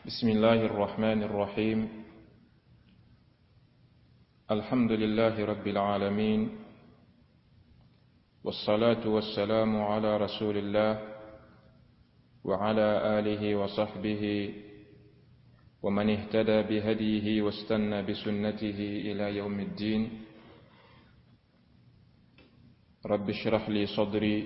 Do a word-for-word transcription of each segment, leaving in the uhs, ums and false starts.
بسم الله الرحمن الرحيم. الحمد لله رب العالمين، والصلاة والسلام على رسول الله وعلى آله وصحبه ومن اهتدى بهديه واستنى بسنته إلى يوم الدين. رب اشرح لي صدري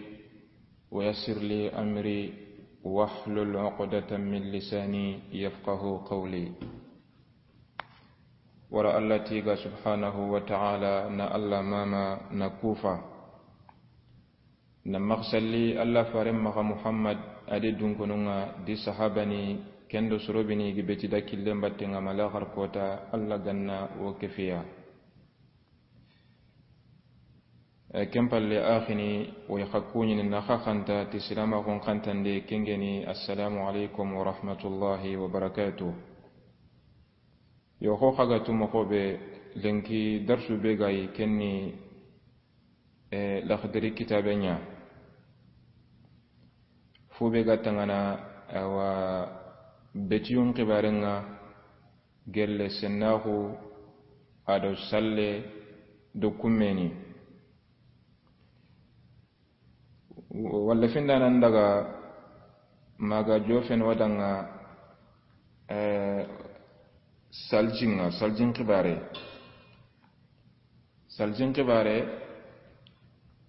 ويسر لي أمري واحلل عقدة من لساني يفقه قولي. Wara Alla tiiga subhanahu wa ta'ala, na Alla maama, na kufa. Na maxa salli Alla faaren maxa Muhammad, a di dunkonun ŋa, di sahabani, ken do soro be ni gi beti da killen batten ŋa ma laxar kota, Alla ga na wo kefiya. E, ken palle, a xini, wo yi xa kuɲini na xa xanta ti silaamaxun xantande, ken ŋeni, assalamu alaikum wa rahmatullahi wa barakatuh. Yo, xo xa ga tu moxo be, lenki darsu be ga yi, ken ni, e, Laxdari kitaabe ɲa. Fo be ga tangana, awa, betiyun xibaaren ŋa, gelle, sennaxu, a do salle, do kummeni. Walla findanan daga maxa jofen wa danŋa, eh, saljin ŋa, saljin xibaare. Saljin xibaare,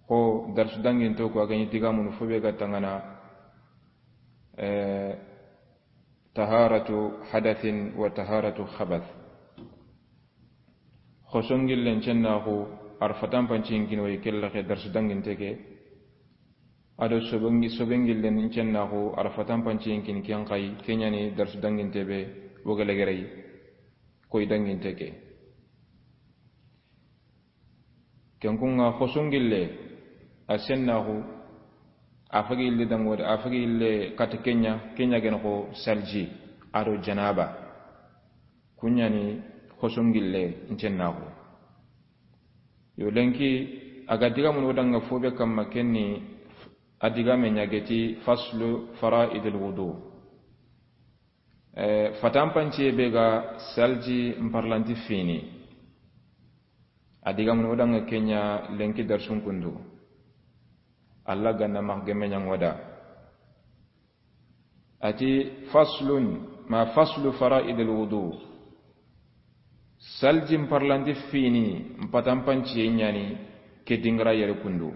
xo darsu danginto ko a ga ɲi digamunu fo be ga tangana, eh, taharatu hadathin wa taharatu khabath. Xosongillen cennaxu, a ra fatanpanciyen kini, wo yi ke laxe darsu danginte ke. A do sobengi-, sobengillen cennaxu, a ra fatanpanciyen kini, ken xa yi, ken ɲa ni darsu danginte be, wo ga legere yi, koy danginte ke. Ken kun ŋa, xosongille, a sennaxu, a fagi ille danŋo de, a fagi ille kata ken ɲa, ken ɲa gene xo salji, a do janaba. Kun ɲa ni xosongille ncennaxu. Yo, lenki, a ga digamunu wo danŋa fo be kamma, ken ni a digame ɲa geti faslu fara'idil wudu. Eh, fatanpanciye be ga salji nparlanti fini. A digamunu wo danŋa ken ɲa lenki darsun kundu. Alla ga na maxa gemme ɲa ŋo da. A ti, faslun, ma faslu fara'idil wudu. Salji nparlanti fini, npatanpanciye ɲa ni, ke dingara yere kundu.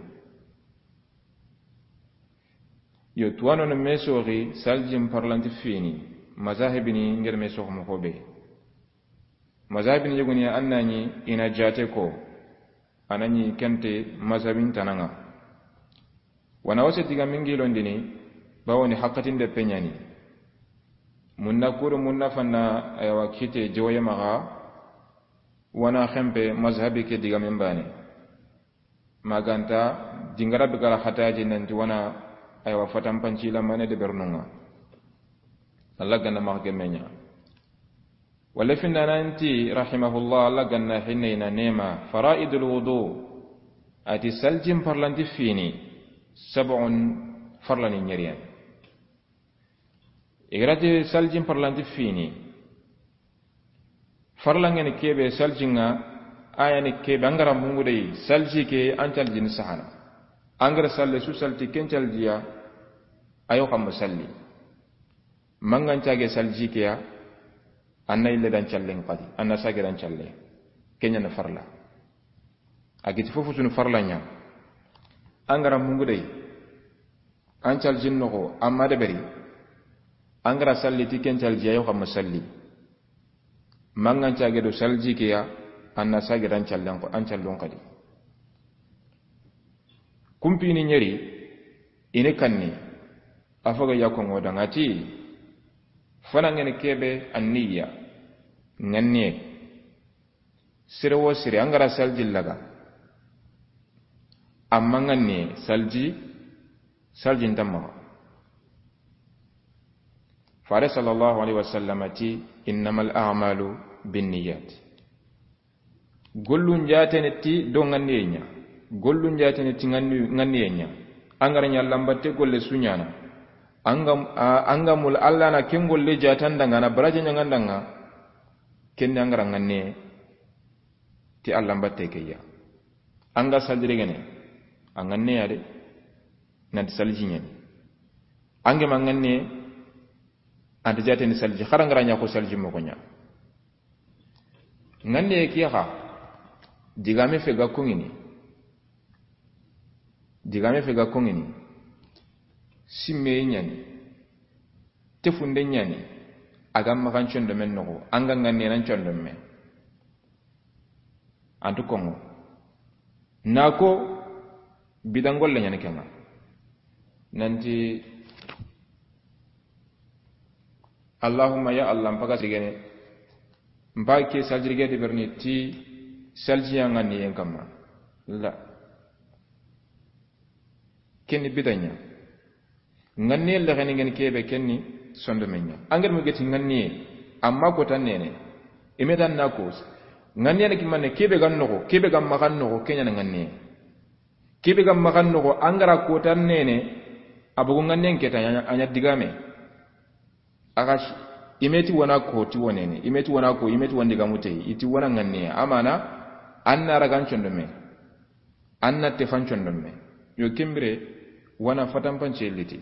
Yo, tuwano no me soxi, salji nparlanti fini, mazahibini ŋa da me soxi moxo be. Mazhabini yogoni ya, an na ɲi i na jaate ko, a na ɲi kente mazhabin tana ŋa. Wa na wase digamen gilondini, bawo ni haqqatinde pe ɲa ni. Munna kuru, munna fanna, aywa, kite jowoye maxa, wa na xenpe mazhabi ke digamen baane. Ma ga nta dingara be ga ra xataji nanti wa na, aywa, fatanpanci lamane de bernun ŋa. Alla ga na maxa gemme ɲa. Walla findananti, rahimahullah, Alla ga na hinne i na nema, fara'idul wudu, a ti salji nparlanti fini, sab'un, farlani ɲeriyen. I ga ra ti salji nparlanti fini, farla ŋa ni ke be salji ŋa, a ya ni ke be, an ga ra mungu de yi, salji ke, an caljini sahana. An ga ra salle su salti ken caljiya, a yo xa ma salli. Mangan cage salji ke ya, an na ille dan callen xadi, an na sage dan calle. Ken ɲa na farla. A giti fofo sunu farla ɲa. An ga ra mungu de yi, an caljin noxo, an ma deberi. An ga ra salli ti ken calji, a yo xa ma salli. Mangan cage do salji ke ya, an na sage dan callen xo, an callun xadi. Kumpini ɲeri, i ni kanni, a faga ya ko ŋo da ŋa ti, fana ŋa ni ke be, an niyya, ŋanniye. Sire wo sire, an ga ra salji laga. Amma ŋanniye, salji, salji nta maxa. Fare sallallahu alaihi wasallam ti, innamal a'malu binniyat. Gollun jaatene ti do ŋanniye ɲa. Gollun jaatene ti ŋanni-, ŋanniye ɲa. An ga ra ɲa lambatte golle su ɲaana. An ga, a, an ga mul Allah na ken golle jaatandanga, na baraje ɲaŋandanga, ken ni an ga ra ŋanne ti Allah mbatte ke ya. An ga saljire gene, a ŋanne ya de, nanti salji ɲani. An ga ma ŋanne, anta jaateni salji, xara an ga ra ɲa ko salji moxo ɲa. Ŋanne ke xa, digame fe ga koŋini. Digame fe ga koŋini. Simme ɲani. Tefunde ɲani. A ga maxan condomen noxo. An ga ŋanne nan condome. Antu koŋo. Na ko bidangolle ɲani kenŋa. Nanti, Allahumma ya Allah, mpaga sigene. Mpa ke saljirige de berni ti saljiya ŋanniyen kamma. La. Ken ni bidaɲa. Ŋanniye lexeni ngeni kebe ken ni sondomen ɲa. An ga da mu geti ŋanniye, amma ko tan nene. Ime dan na ko. Ŋanniye ne kimane kebe ga noxo, kebe ga maxan noxo, ken ɲa na ŋanniye. Kebe ga maxan noxo, an ga ra ko tan nene, a bogu ŋanniyen ke ta, a ɲa, a ɲa digame. A ga si, ime ti wana ko ti wanene, ime ti wana ko, ime ti wandi ga mutey, i ti wana ŋanniye. Amana, an na ragan condome. An na tefan condome. Yo ken bire, wana fatampance liti.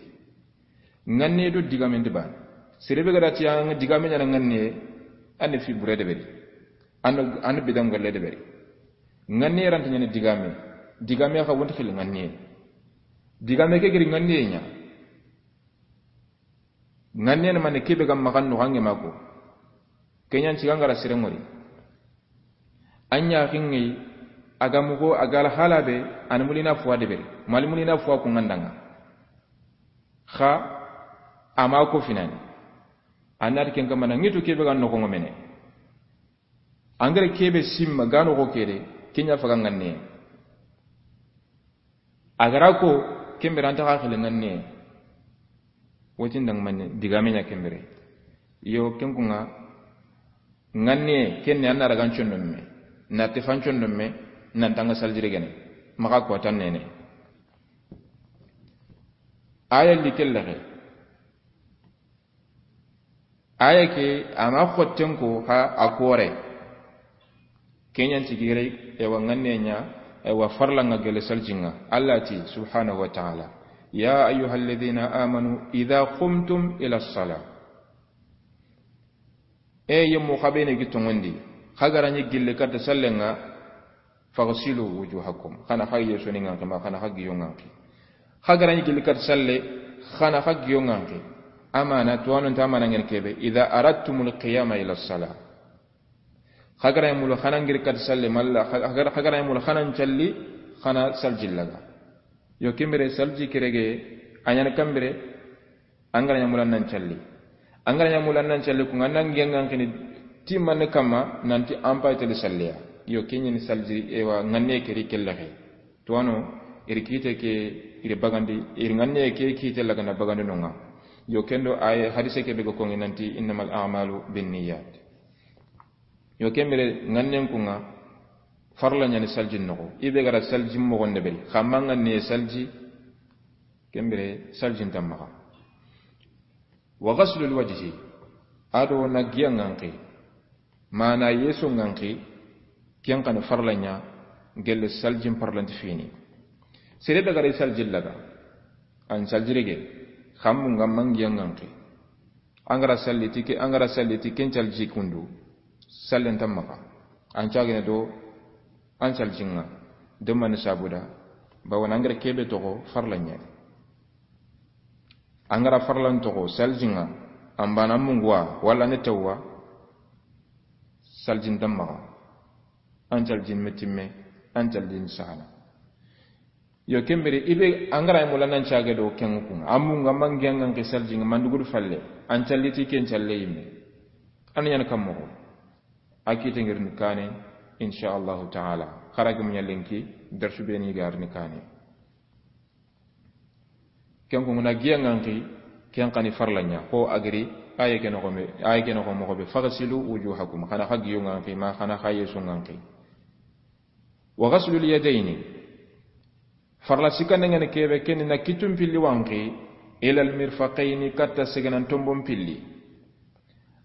Ŋanne do digame ndi bane. Sere be ga da ti an digame ɲa na ŋanne, an fi bure de beri. An, an bidangolle de beri. Ŋanne ranta ɲa na digame. Digame xa wonti xil ŋanne. Digame ke giri ŋanne ɲa. Ŋanne na mane kebe ga maxan noxo an ga ma ko. Ken ɲa ti ga an ga ra sere ŋori. An ɲa xinŋe, a ga mugo, a ga la hala be, an mulina fuwa de beri. Mal mulina fuwa ku ŋandanga. Xa, a ma ko finani. An na ti ken kamana ŋitu kebe ga noxo ŋomene. An ga ra kebe simma ga noxo kede, ken ɲa faga ŋanne. A ga ra ko, ken bire anta xa xile ŋanne. Wotin dang manne, digame ɲa ken bire. Yo, ken kuŋa, ŋanne, ken ni an na ragan condome, na tefan condome, nan tanga saljire gene. Maxa ko tan nene. Aya li kellexe. Aya ke, a ma xotten ko, ha, a kore. Ken ɲa nti gire, ewa ŋanne ɲa, ewa farla ŋa gele saljinŋa. Allah ti, subhanahu wa ta'ala. Ya ayyuhalladhina amanu, idha qumtum ila salah. E yemmu xa be ne gi toŋondi. Xa ga ra ɲi gille katta sallenŋa, faghsilu wujuhakum. Xa na xa yeso ni ŋanki ma, xa na xa giyo ŋanki. Xa ga ra ɲi gilli kat salle, xa na xa giyo ŋanki. Amana, tuwanu nta amana ŋen kebe. Idha aradtumul qiyama ila salah. Xa ga ra ɲi mulu xa na ŋiri kat salle, malla, xa, xa ga ra ɲi mulu xa na ncalli, xa na salji laga. Yo ken bire salji kerege, a ɲa na ken bire, An ga ra ɲa mulu an na ncalli. An ga ra ɲa mulu an na ncalli, ku ŋa na ŋiya ŋanki ni ti manne kamma, nanti an pay tele salliya. Yo, ken ɲa ni salji, ewa, ŋanne ke ri kellexe. Tuwano, iri kite ke, iri bagandi, iri ŋanne ke kite laga na bagandi no ŋa. Yo, ken do ay hadise ke be ga koŋi nanti, innamal a'malu binniyat. Yo, ken bire ŋannen kuŋa, farla ɲa ni salji noxo. I be ga ra salji moxon de beri. Xa ma ŋanne salji, ken bire salji nta maxa. Wa ghaslul wajhi, a do na giya ŋanki, mana yeso ŋanki, ken xa ni farla ɲa, gelle saljin parlanti fini. Sere daga ri salji laga, an salji rege, xammu ŋa ma giya ŋanki. An ga ra salli ti ke, an ga ra salli ti ken salji kundu, sallen nta maxa. An cagene do, an salji ŋa, do mani sabuda, bawo na an ga ra kebe toxo farla ɲa. An ga ra farlan toxo, salji ŋa, an bana munguwa, wala ne tawwa, saljin nta maxa. An saljin metimme, an saljin sahana. Yo, ken bire, i be, an ga ra ɲa mulu an na ncage do ken kuŋa. An munga ma giya ŋanki salji ŋa, mandugudu falle. An salli ti ken salle yimme. An ɲa na kam moxo. A kite ŋirini kane, insha Allahu ta'ala. Xa ra gi muɲa lenki, darsu be ni ga rini kane. Ken ko na giya ŋanki, ken xa ni farla ɲa. Ko a giri, aye ke noxo me, aye ke noxo moxo be, faghsilu wujuhakum. Xa na xa giyo ŋanki, ma xa na xa yeso ŋanki. Wa ghaslul yadayni. Farla sikande ŋa ni kebe, ken ni na kitun pilli wanki, Ilal mirfaqayni, katta segenan tombon pilli.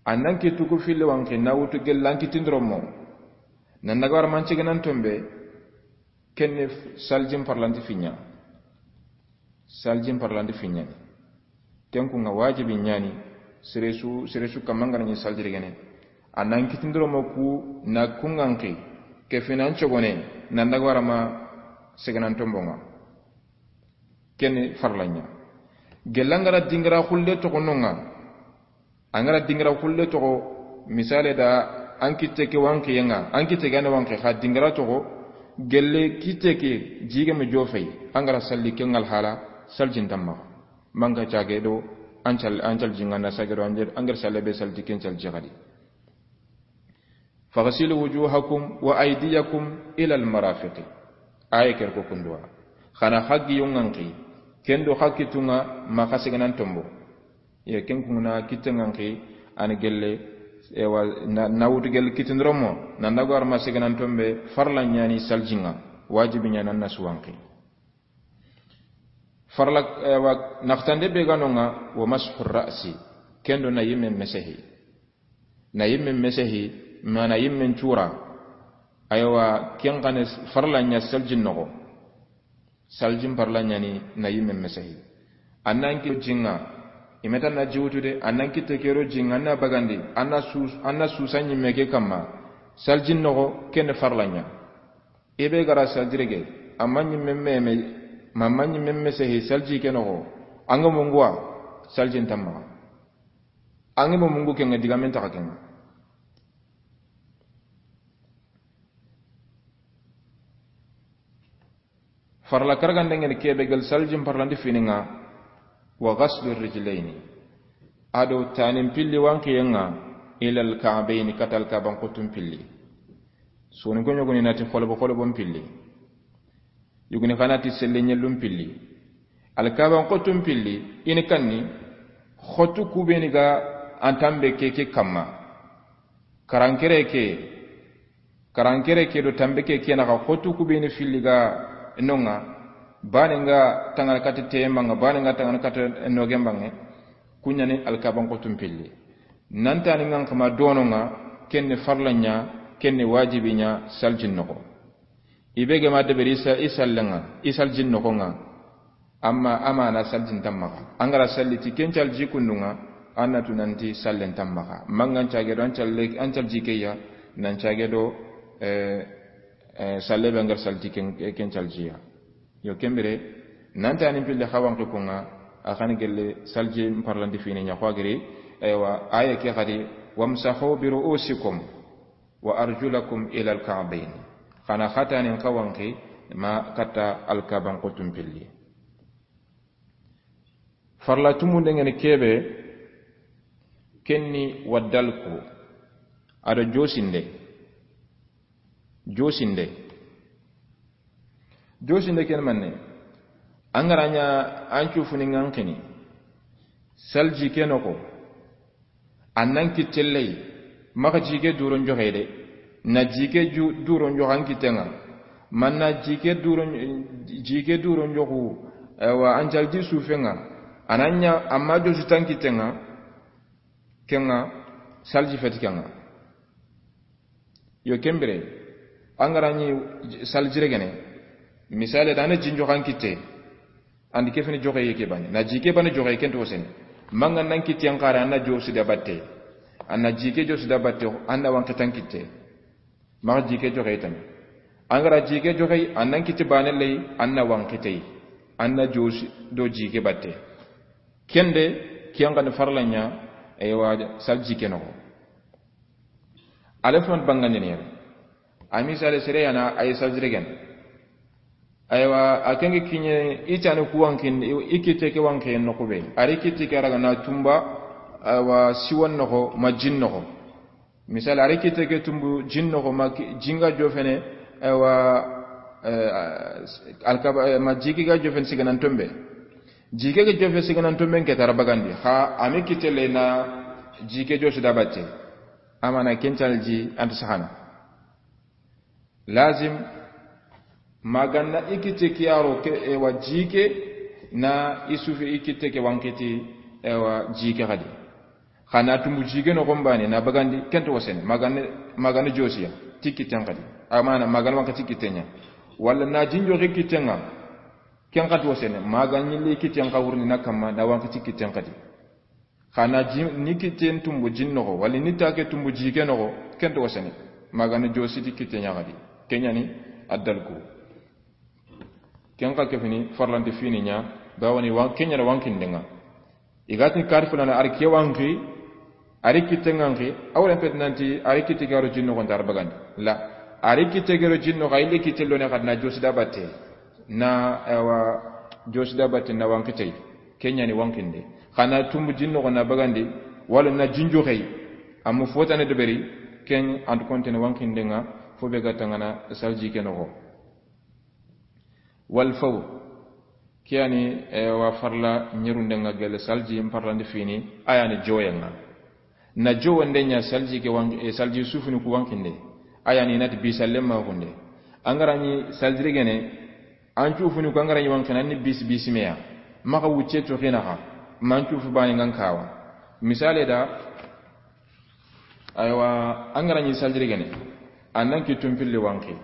An nan kittu ku filli wanqi, na wutu gelli an kittindiro mo, nan daga wara ma an segenan tombe. Kenne saljin parlanti finya. Saljin parlanti finya. Ken ku ŋa wajibi ɲani. Sere su, sere su kamma ŋa na ɲi saljiri gene. An nan kittindiro mo ku na ku ŋanqi. Ke finan cogone, nan daga wara ma segenan tombo ŋa. Kenne farla ɲa. Gelli an ga ra dingira xulle toxo no ŋa. An ga ra dingira xulle toxo, misale da an kitte ke wanqiye ŋa, an kitte ke an wanqi xa dingira toxo, gelli kitte ke jige me jofey, an ga ra salli ke ŋa alhala, saljin tamma. Manga cage do, an cal, an calji ŋa na sage do, an ga ra salle be salti ken calji xadi. Faghsilu wujuhakum wa aydiyakum ila almarafiqi. Aye ker ko kunduwa. Xa na xa giyo ŋanqi. Kendo xa kittu ŋa ma xa segenan tombo. Ye ken ku na kitte ŋanqi, an gelli, ewa, na, na wutu gelli kittindiro mo, nan daga wara ma segenan tombe, farla ɲani saljin ŋa, wajibi ɲani an na su wanqi. Farla, ewa, naxtande be ga no ŋa, wa mashu ra'si, kendo na yimme mesehi. Na yimme mesehi, ma na yimme cura. Aywa, ken xa ne farla ɲa saljin noxo. Saljin parla ɲani na yimme mesehi. An nan ki jinga. I me ta na ji wutu de, an nan kitte ke ro jinga, an na bagandi, an na sus-, an na susa ɲimme ke kamma. Saljin noxo, kenne farla ɲa. I be ga ra saljire ge, amma ɲimme meme, ma, ma ɲimme mesehi salji ke noxo. An ga munguwa, saljin tamma. An ga mungu ke ŋa digamen taxa ke ŋa. Farla karagande ŋeni kebe gelli saljin parlanti fini ŋa, wa ghaslu rijlayni. Ado tanin pilli wanqiye ŋa, ila alka'bayni, katta alkaban xuttun pilli. Soni ko ɲogoni na ti xolobo xolobon pilli. Yuguni xa na ti selle ɲellun pilli. Alkaban xuttun pilli, i ni kanni, xottu ku be ni ga an tambe ke ke kamma. Karankere ke, karankere ke do tambe ke ke na xa xottu ku be ni filli ga no ŋa, bane ŋa tangana katta teyemba ŋa, bane ŋa tangana katta nogemba ŋa, ku ɲani alkaban xuttun pilli. Nan tani ŋa xa ma do no ŋa, kenne farla ɲa, kenne wajibi ɲa, saljin noxo. I be ge ma deberi i sa-, i sallen ŋa, i saljin noxo ŋa. Amma, amma na saljin tamma xa. An ga ra salli ti ken calji kundu ŋa, an na tu nanti sallen tamma xa. Mangan cage do an calle, an calji ke ya, nan cage do, eh, eh, salle be an ga ra salli ti ken, ken calji ya. Yo ken bire, nan tani pilli xa wanqi ku ŋa, a xa ni gelli salji parlanti fini ɲa xo a giri, aywa, aye ke xadi, wamsahu bi ru'usikum. Wa arjulakum ila alka'bayn. Xa na xa tanin xa wanqi ma katta alkaban xuttun pilli. Farla tumunden ŋeni kebe, kenni wa dalku. Ado josinde. Josinde. Josinde ken manne. An ga ra ɲa an cufuni ŋanqini. Salji ke noxo. An nan kitte lay, maxa jike duron joxe de. Na jike ju-, duron joxe an kitte ŋa. Man na jike duron, jike duron joxu, ewa, an calji sufe ŋa. An na ɲa, amma josi tan kitte ŋa. Ke ŋa, salji feti ke ŋa. Yo ken bire, an ga ra ɲi saljire gene, misale da na jin joxe an kitte, an di ke fini joxe ye ke bane. Na ji ke bane joxe ken to sene. Manga nan kitte an xara, an na josi da batte. An na ji ke josi da batte, an na wanqi tan kitte. Maxa ji ke joxe tan. An ga ra ji ke joxe, an nan kitte bane lay, an na wanqi tay. An na josi do ji ke batte. Kende, kiyan kan farla ɲa, aywa, salji ke noxo. Ale fana bangandini yere. A misale sere yana ay saljire gene. Aywa, a kenge kiɲe i tani ku wanqin, i kitte ke wanqi noxo be. A ri kitte ke raga na tumba, aywa, siwan noxo, ma jin noxo. Misale, a ri kitte ke tumbu jin noxo, ma ki-, jinga jofene, aywa, eh, alkaba, eh, ma jike ga jofene siganan tombe. Jike ga jofe siganan tombe nke tara bagandi. Xa, a mi kitte le na jike josi da batte. Amana ken calji anta sahana. Lazim, maganna i kitte kiyaro ke, ewa, jike, Na i suufe i kitte ke wanqi ti, ewa, ji ke xadi. Xa na tumbu ji ke noxon baane na bagandi, ken nta wasene, magane, magane josiya ti kitten xadi. Amana magane wanqi ti kitten ŋa. Walla na jinjo ke kitten ŋa, ken xa nta wasene, magane ñille kitten xa wurni na kamma, na wanqi ti kitten xadi. Xa na ji, ni kitten tumbu jin noxo, walla ni ta ke tumbu ji ke noxo, ken nta wasene, magane josi ti kitten ŋa xadi. Ken ña ni addalku. Ken xa ke fini farlante fini ña, bawoni wan, ken ña na wanqinden ŋa. I ga ti ni kari fulana, a ri ke wanqi, a ri kitten ŋa wanqi, a wure n peti nanti, a ri kitte ga ro jin noxon ta a ri bagandi. La, a ri kitte ga ro jin noxo, a yille kitte lone xadi na josi da batte. Na, ewa, josi da batte na wanqi tey. Ken ña ni wanqinde. Xa na tumbu jin noxo na bagandi, walla na jinjo xey. Amu fotane deberi, ken an nta kontene wanqinden ŋa, fo be ga tangana salji ke noxo. Wal fawr. Ke ya ni, eh, wa farla ñerunden ŋa gelle salji n farlandi fini, a ya ni joyen ŋa. Na jowonde ña salji ke wan-, eh, salji suufini ku wanqinde. A ya ni i na ti bisalle maxunde. An ga ra ñi salji rigene, an cuufini ku an ga ra ñi wanqini, an ni bis-, bisime ya. Maxa wucce toxi naxa. Ma an cuufu baane ŋa n kawa. Misale da, aywa, an ga ra ñi salji rigene. An nan kittun pilli wanqi.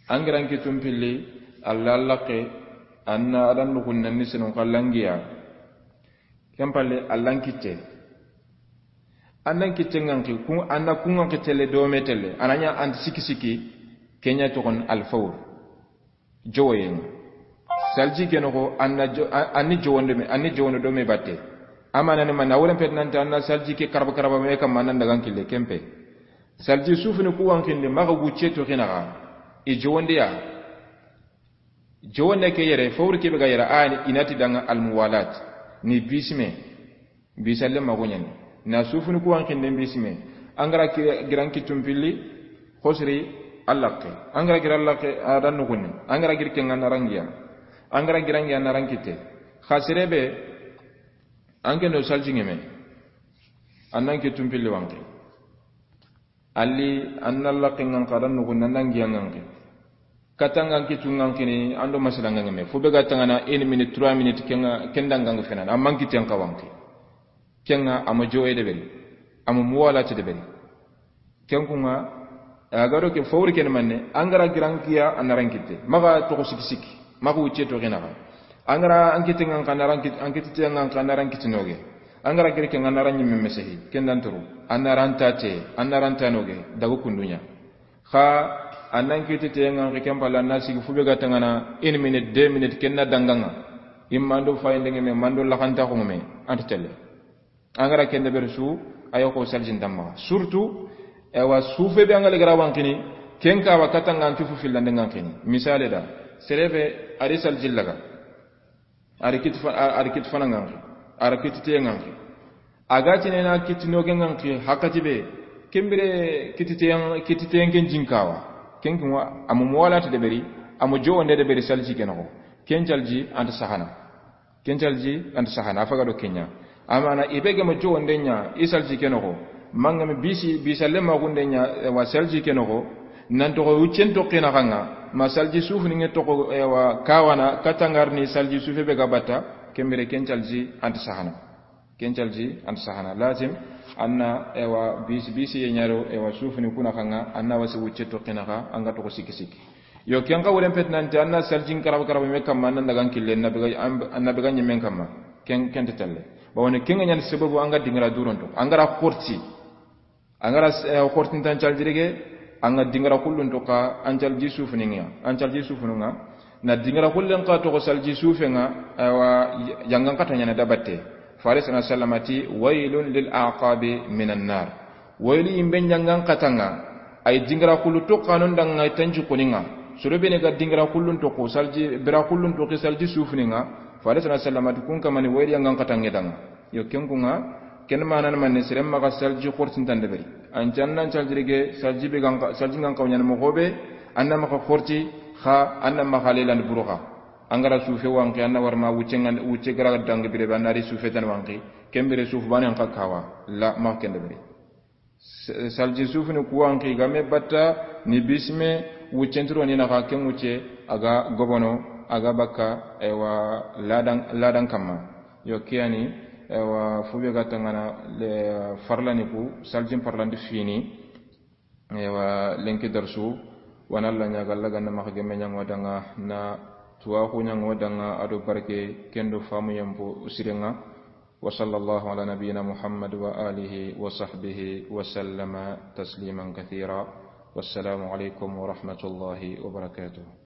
An ga ra n kittun pilli, Alla laqe, an na adan nuxun nan ni senun xa langiya. Ken palle, Alla n kitte. An nan kitte ŋa wanqi, ku, an na ku wanqi telle, dome telle. A na ña an ti sikki sikki, ken ña toxon al fawr. Jowoyen ŋa. Salji ke noxo, an na jo-, an, an ni jowonde me, an ni jowonde dome batte. Amana ni ma na wure n peti nanti an na salji ke karaba karaba me kamma nan daga n kille ken pe. Salji suufini ku wanqinde maxa wucce toxi naxa. I jowonde ya. Jowonde ke yere, fawr ke be ga yere, a ni i na ti danŋa al muwalat. Ni bisime. Bisalle maxu ña ni. Na suufini ku wanqinden bisime. An ga ra ki-, gira n kittun pilli, xosiri a laqe. An ga ra gira a laqe, a dan nuxunni. An ga ra giri ken ŋa na rangiya. An ga ra gira n giya na ran kitte. Xa sere be, an ke no salji ŋeme. An nan kittun pilli wanqi. Alli, an na laqe ŋa wanqi, a dan nuxunni, an na n giya ŋa wanqi. Kata ŋa n kittu ŋa wanqini, an do masala ŋa ŋeme. Fo be ga tangana une minute, trois minutes, ken ŋa, ken da ŋa wanqi fenana. Amma n kitten xa wanqi. Ken ŋa, a ma joye deberi. A ma muwalati deberi. Ken ku ŋa, a ga do ke fawri ken manne, an ga ra gira n giya, an na ran kitte. Maxa toxo sikki sikki. Maxa wucce toxi naxa. An ga ra an kitte ŋa wanqi, an na ran kit-, an kitte ŋa wanqi, an na ran kitte noge. An ga ra giri ken ŋa, an na ran ñimme mesehi. Ken da n turu. An na ran tate, an na ran tanoge. Daga kundu ña. Xa, an nan kitte ŋa wanqi ken palle, an na sigi fo be ga tangana, une minute, deux minutes, ken na danŋa ŋa. Imma an do fayinde ŋeme, ma an do laxantaxu ŋeme, an nta telle. An ga ra ken deberi su, a yoxo salji nta maxa. Surtout, ewa, suufe be an ga li ga ra wanqini, ken kawa kata ŋa an cuufu fillande ŋa wanqini. Misale da, sere be, a ri salji laga. A ri kitti fa-, a, a ri kitti fana ŋa wanqi. A ri kitti teye ŋa wanqi. A ga tini na kitti noge ŋa wanqi, haqqati be. Ken bire kitti teyen, kitti teyen ken ji n kawa. Ken ken wa, a ma muwalati deberi, a ma jowonde deberi salji ke noxo. Ken salji an nta sahana. Ken salji an nta sahana, a faga do ken ña. Amana i be ga ma jowonde ña, i salji ke noxo. Ma ŋa me bisi, bisalle maxunde ña, ewa salji ke noxo. Nan toxo wuccen toxi naxa ŋa, ma salji suufini ŋe toxo, ewa, kawana, kata ŋa ri ni salji suufe be ga batta, ken bire ken salji an nta sahana. Ken salji an nta sahana. Lazim, an na, ewa, bisi, bisi ye ña ro, ewa, suufini ku naxa ŋa, an na wasi wucce toxi naxa, an ga toxo sikki sikki. Yo, ken xa wure n peti nanti, an na salji n karaba karaba me kamma, an na daga n kille, na be ga, an, an na be ga ñimme n kamma. Ken, ken nta telle. Bawoni, ken ŋa ña ni sababu, an ga dingira duron toxo. An ga ra xorti. An ga ra, eh, xortintan salji rege, an ga dingira xullun toxo, an salji suufini ŋa. An salji suufini ŋa. Na dingira xullen xa toxo salji suufe ŋa, awa, yangan xata ña na da batte. Faare sallallaahu alayhi wa sallam ti, "Waylun lil a'qabi minan nar." Waylu yinben yangan xata ŋa, ay dingira xullu toxo xa non danŋa tanji koni ŋa. Soro be ne ga dingira xullun toxo, salji, bira xullun toxo, salji suufini ŋa. Faare sallallaahu alayhi wa sallam ti, kun kamani waylu yangan xata ŋe danŋa. Yo, ken ku ŋa, ken manan manne, sere maxa salji xortintan deberi. An cannan salji rege, salji be gan xa-, salji ŋa n xawa ñaana moxo be, an na maxa xorti, xa an na maxa leylandi buru xa. An ga ra suufe wanqi, an na wara ma wucce ŋa, wucce ga ra danŋa bire be, an na ri suufe tan wanqi, ken bire suufu baane an xa kawa, la maxa ken deberi. S-, salji suufini ku wanqi ga me batta, ni bisime, wuccen tiro ni naxa, ken wucce, a ga gobono, A ga bakka, ewa, ladan, ladan kamma. Yo, kiyani, ewa, fube ga tangana, le, farlani ku, saljin parlandi fini. Ewa, lenki darsu, wana la ɲaga la ganna maxa gemme ɲango danga, na tuwaxu ɲango danga, ado barke, kendo famu yambo, usirenga. وصلى الله على نبينا محمد وآله وصحبه وسلم تسليما كثيرا. والسلام عليكم ورحمة الله وبركاته.